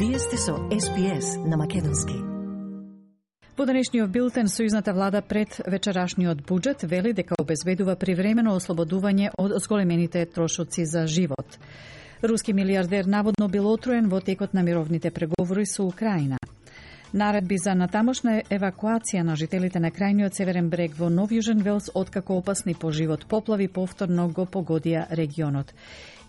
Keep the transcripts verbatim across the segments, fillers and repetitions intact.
Вие сте со Ес Би Ес на македонски. Во денешниот билтен, сојузната влада пред вечерашниот буџет вели дека обезбедува привремено ослободување од зголемените трошоци за живот. Руски милиардер наводно бил отруен во текот на мировните преговори со Украина. Наредби за натамошна евакуација на жителите на крајниот северен брег во Нов Јужен Велс откако опасни по живот поплави повторно го погодија регионот.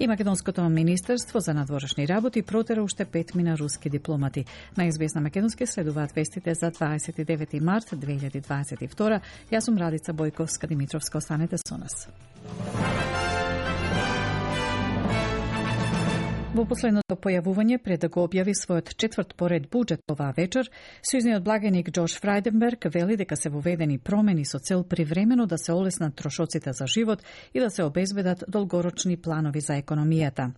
И Македонското министерство за надворешни работи протера уште петмина на руски дипломати. На Ес Би Ес на македонски следуваат вестите за дваесет и девети март две илјади дваесет и втора. Јас сум Радица Бојковска-Димитровска. Останете со нас. Во последното појавување пред да го објави својот четврт поред буџет оваа вечер, сојузниот благеник Џорџ Фрајденберг вели дека се воведени промени со цел привремено да се олеснат трошоците за живот и да се обезбедат долгорочни планови за економијата.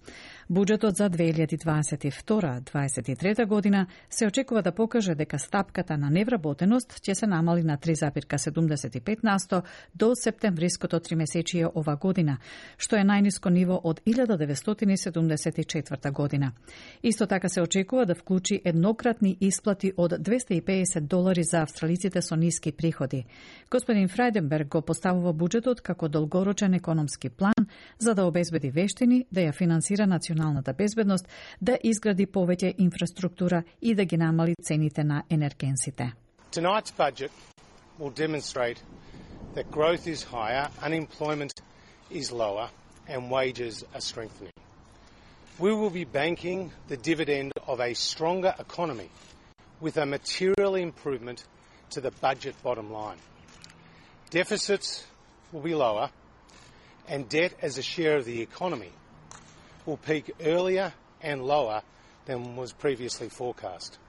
Буџетот за две илјади дваесет и втора - дваесет и трета година се очекува да покаже дека стапката на невработеност ќе се намали на три зарез седумдесет и пет на сто до септемвриското тримесечие ова година, што е најниско ниво од илјада деветстотини седумдесет и четврта година. Исто така се очекува да вклучи еднократни исплати од двесте и педесет долари за австралиците со ниски приходи. Господин Фрајденберг го поставува буџетот како долгорочен економски план за да обезбеди вештини, да ја финансира националната безбедност, да изгради повеќе инфраструктура и да ги намали цените на енергенсите. Tonight's budget will demonstrate that growth is higher, unemployment is lower, and wages are strengthening. We will be banking the dividend of a stronger economy with a material improvement to the budget bottom line. Deficits will be lower, and debt as a share of the economy will peak earlier and lower than was previously forecast.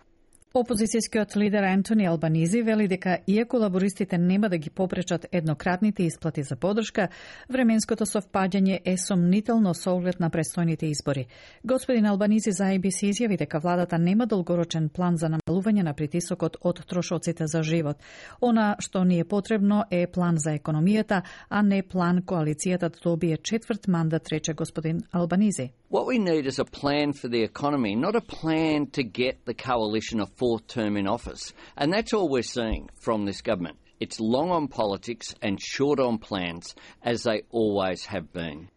Опозицијскиот лидер Антони Албанизи вели дека иако лабористите нема да ги попречат еднократните исплати за подршка, временското совпаѓање е сомнително со оглед на престојните избори. Господин Албанизи за Ей Би Си изјави дека владата нема долгорочен план за намалување на притисокот од трошоците за живот. Она што ни е потребно е план за економијата, а не план коалицијата да добие четврт мандат, рече господин Албанизи. What we need is a plan for the economy, not a plan to get the coalition a fourth term in office. And that's all we're seeing from this government. It's long on politics and short on plans, as they always have been.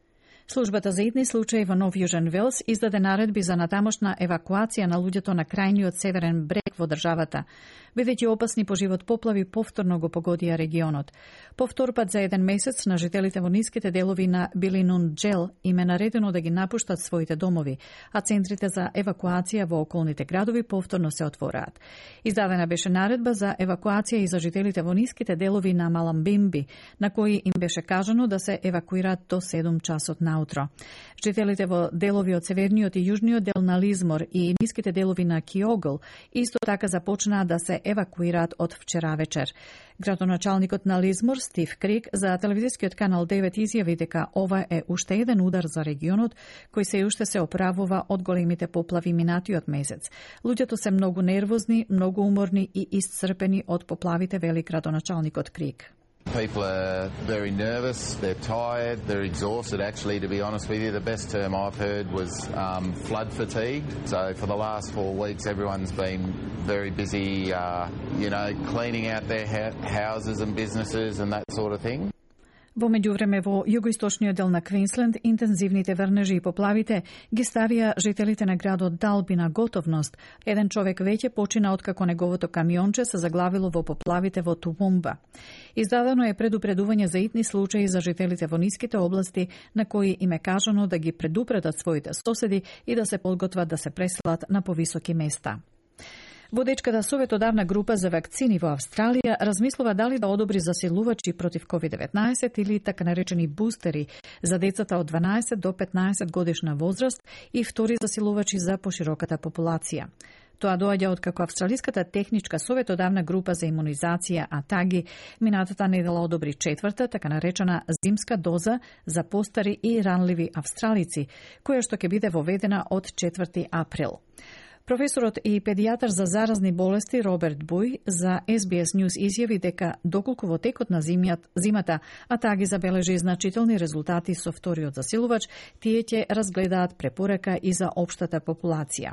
Службата за итни случаи во Нов Јужен Велс издаде наредби за натамошна евакуација на луѓето на крајниот северен брег во државата, бидејќи опасни по живот поплави повторно го погодија регионот. Повтор пат за еден месец на жителите во ниските делови на Билинунџел им е наредено да ги напуштат своите домови, а центрите за евакуација во околните градови повторно се отвораат. Издадена беше наредба за евакуација и за жителите во ниските делови на Маламбимби, на кои им беше кажано да се евакуираат до седум часот на утро. Жителите во делови од северниот и јужниот дел на Лизмор и ниските делови на Киогл исто така започнаа да се евакуираат од вчера вечер. Градоначалникот на Лизмор, Стив Крик, за телевизискиот канал девет изјави дека ова е уште еден удар за регионот, кој се уште се оправува од големите поплави минатиот месец. Луѓето се многу нервозни, многу уморни и исцрпени од поплавите, вели градоначалникот Крик. People are very nervous, they're tired, they're exhausted. Actually, to be honest with you, the best term I've heard was um, flood fatigue. So for the last four weeks, everyone's been very busy, uh, you know, cleaning out their ha- houses and businesses and that sort of thing. Во меѓувреме во југоисточниот дел на Квинсленд интензивните врнежи и поплавите ги ставија жителите на градот Далби на готовност. Еден човек веќе почина откако неговото камионче се заглавило во поплавите во Тувумба. Издадено е предупредување за итни случаи за жителите во ниските области, на кои им е кажано да ги предупредат своите соседи и да се подготват да се преселат на повисоки места. Водечката советодавна група за вакцини во Австралија размислува дали да одобри засилувачи против ковид деветнаесет или така наречени бустери за децата од дванаесет до петнаесет годишна возраст и втори засилувачи за пошироката популација. Тоа доаѓа од како Австралиската техничка советодавна група за имунизација АТАГИ минатата недела одобри четврта, така наречена зимска доза за постари и ранливи австралици, која што ќе биде воведена од четврти април. Професорот и педијатар за заразни болести Роберт Буј за Ес Би Ес News изјави дека доколку во текот на зимата, а таа ги забележи значителни резултати со вториот засилувач, тие ќе разгледаат препорека и за општата популација.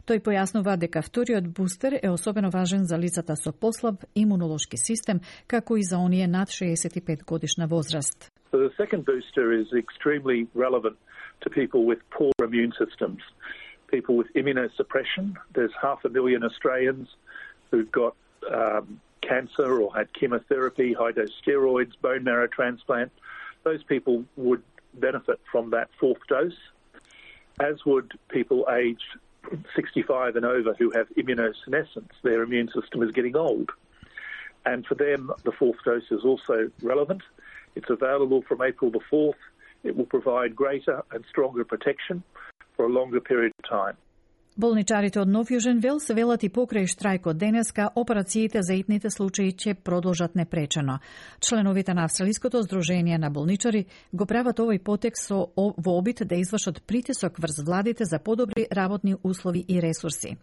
Тој појаснува дека вториот бустер е особено важен за лицата со послаб имунолошки систем, како и за оние над шеесет и пет годишна возраст. So the second booster is extremely relevant to people with poor immune systems. People with immunosuppression. There's half a million Australians who've got um, cancer or had chemotherapy, high-dose steroids, bone marrow transplant. Those people would benefit from that fourth dose, as would people aged sixty-five and over who have immunosenescence. Their immune system is getting old. And for them, the fourth dose is also relevant. It's available from April the fourth. It will provide greater and stronger protection for a longer period of time. Болничарите од Нов Јужен Велс велат и покрај штрајкот денеска, операциите за итните случаи ќе продолжат непречено. Членовите на Австралиското здружение на болничари го прават овој потек со во обид да извршат притисок врз владите за подобри работни услови и ресурси.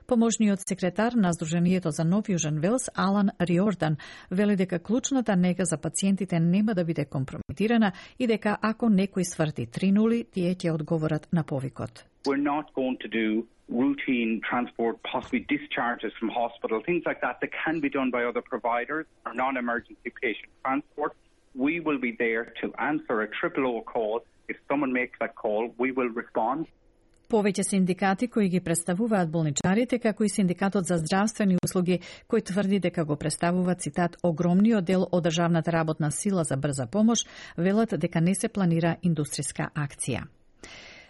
Поможниот секретар на Здруженијето за Нов Јужен Велс, Алан Риордан, вели дека клучната нега за пациентите нема да биде компрометирана и дека ако некој сврти три нули, тие ќе одговорат на повикот. We're not going to do routine transport, possibly discharges from hospital, things like that that can be done by other providers or non-emergency patient transport. We will be there to answer a triple O call. If someone makes that call, we will respond. Повеќе синдикати кои ги представуваат болничарите, како и Синдикатот за здравствени услуги, кој тврди дека го представува, цитат, огромниот дел од државната работна сила за брза помош, велат дека не се планира индустријска акција.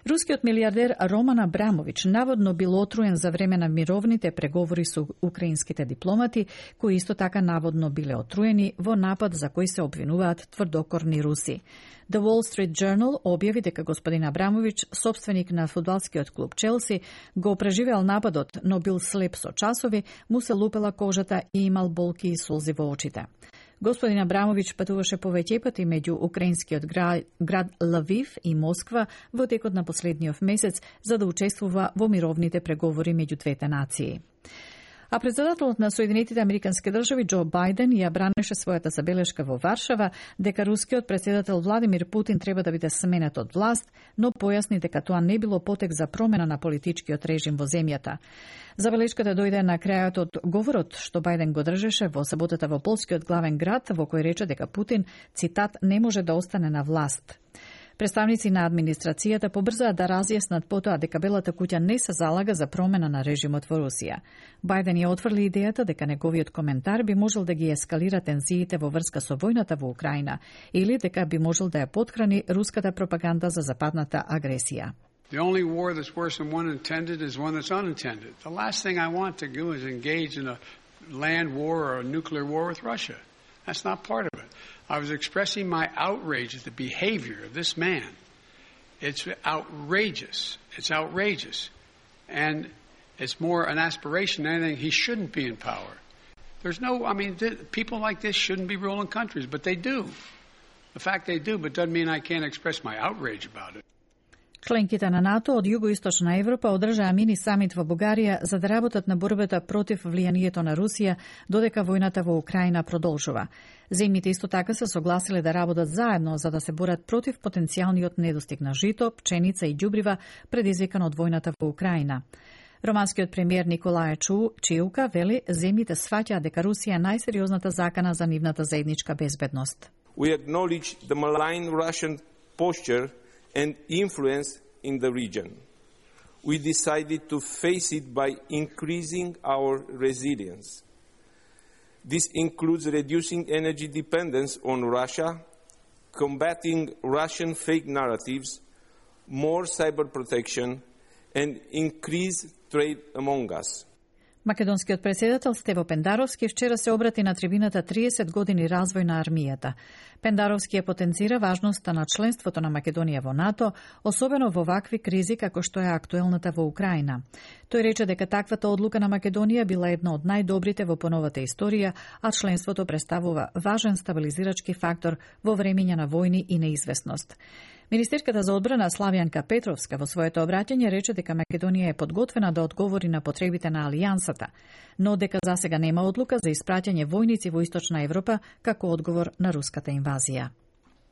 Рускиот милиардер Роман Абрамович наводно бил отруен за време на мировните преговори со украинските дипломати, кои исто така наводно биле отруени во напад за кој се обвинуваат тврдокорни руси. The Wall Street Journal објави дека господин Абрамович, собственик на фудбалскиот клуб Челси, го преживеал нападот, но бил слеп со часови, му се лупела кожата и имал болки и солзи во очите. Господин Абрамович патуваше повеќе пати меѓу украинскиот град, град Лавив и Москва во текот на последниот месец за да учествува во мировните преговори меѓу двете нации. А председателот на Соединетите Американски држави Џо Бајден ја бранеше својата забелешка во Варшава дека рускиот председател Владимир Путин треба да биде сменет од власт, но појасни дека тоа не било потек за промена на политичкиот режим во земјата. Забелешката дојде на крајот од говорот што Бајден го држеше во саботата во полскиот главен град, во кој рече дека Путин, цитат, не може да остане на власт. Представници на администрацијата побрзаа да разјаснат потоа дека Белата куќа не се залага за промена на режимот во Русија. Бајден ја отфрли идејата дека неговиот коментар би можел да ги ескалира тензиите во врска со војната во Украина или дека би можел да ја потхрани руската пропаганда за западната агресија. The only war that's worse than one intended is one that's unintended. The last thing I want to do is engage in a land war or a nuclear war with Russia. That's not part of it. I was expressing my outrage at the behavior of this man. It's outrageous. It's outrageous. And it's more an aspiration than anything. He shouldn't be in power. There's no, I mean, th- people like this shouldn't be ruling countries, but they do. The fact they do, but doesn't mean I can't express my outrage about it. Членките на НАТО од Југоисточна Европа одржаа мини самит во Бугарија за да работат на борбата против влијанието на Русија додека војната во Украина продолжува. Земјите исто така се согласиле да работат заедно за да се борат против потенцијалниот недостиг на жито, пченица и ѓубрива предизвикан од војната во Украина. Романскиот премиер Николај Чиука вели земјите сваќаат дека Русија е најсериозната закана за нивната заедничка безбедност. We acknowledge the malign Russian posture and influence in the region. We decided to face it by increasing our resilience. This includes reducing energy dependence on Russia, combating Russian fake narratives, more cyber protection, and increased trade among us. Македонскиот председател Стево Пендаровски вчера се обрати на трибината триесет години развој на армијата. Пендаровски ја потенцира важноста на членството на Македонија во НАТО, особено во вакви кризи како што е актуелната во Украина. Тој рече дека таквата одлука на Македонија била една од најдобрите во поновата историја, а членството представува важен стабилизирачки фактор во времења на војни и неизвестност. Министерката за одбрана Славјанка Петровска во своето обраќање рече дека Македонија е подготвена да одговори на потребите на Алијансата, но дека засега нема одлука за испраќање војници во Источна Европа како одговор на руската инвазија.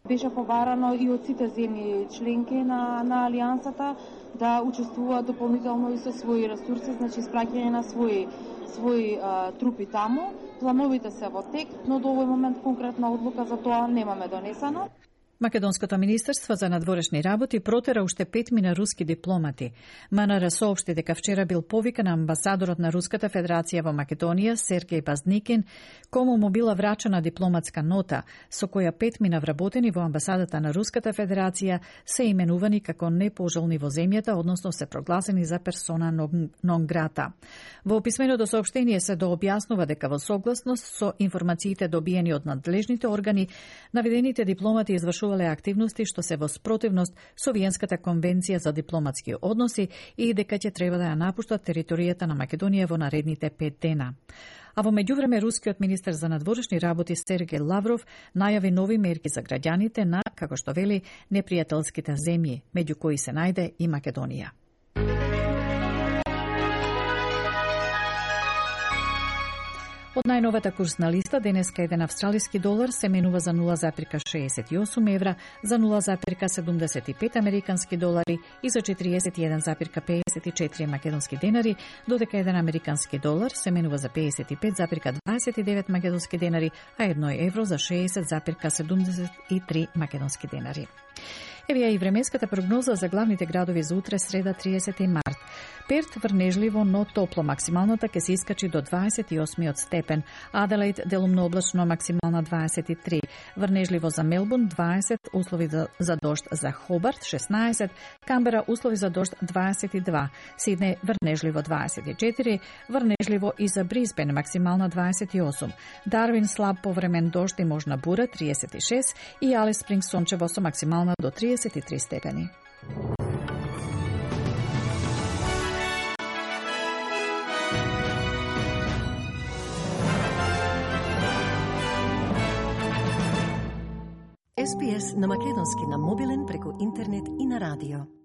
Беше побарано и од сите земји членки на, на Алијансата да учествуваат дополнително и со своји ресурси, значи испраќање на своји, своји а, трупи таму. Плановите се во тек, но до овој момент конкретна одлука за тоа немаме донесено. Македонското министерство за надворешни работи протера уште петмина руски дипломати. МНР соопшти дека вчера бил повикан амбасадорот на Руската Федерација во Македонија, Сергеј Базникин, кому му била врачена дипломатска нота, со која петмина вработени во амбасадата на Руската Федерација се именувани како непожелни во земјата, односно се прогласени за персона нон грата. Во писменото соопштение се дообјаснува дека во согласност со информациите добиени од надлежните органи, наведените дипломати извршуваат активности што се во спротивност со Виенската конвенција за дипломатски односи и дека ќе треба да ја напуштат територијата на Македонија во наредните пет дена. А во меѓувреме рускиот министер за надворешни работи Сергеј Лавров најави нови мерки за граѓаните на, како што вели, непријателските земји, меѓу кои се најде и Македонија. Од најновата курсна листа, денеска еден австралиски долар се менува за нула запирка шеесет и осум евра, за нула запирка седумдесет и пет американски долари и за четириесет и еден запирка пеесет и четири македонски денари, додека еден американски долар се менува за пеесет и пет запирка дваесет и девет македонски денари, а едно евро за шеесет запирка седумдесет и три македонски денари. Еве ја и временската прогноза за главните градови за утре, среда, триесети март. Перт врнежливо, но топло, максималната ќе се искачи до дваесет и осми степен. Аделаид делумно облачно, максимална дваесет и три. Врнежливо за Мелбурн дваесет, услови за, за дожд за Хобарт шеснаесет, Камбера услови за дожд дваесет и два, Сиднеј врнежливо дваесет и четири, врнежливо и за Брисбен максимална дваесет и осум, Дарвин слаб повремен дожд и можна бура триесет и шест и Алис Спрингс сончево со максимална до триесет и три степени. Ес Би Ес на македонски на мобилен преку интернет и на радио.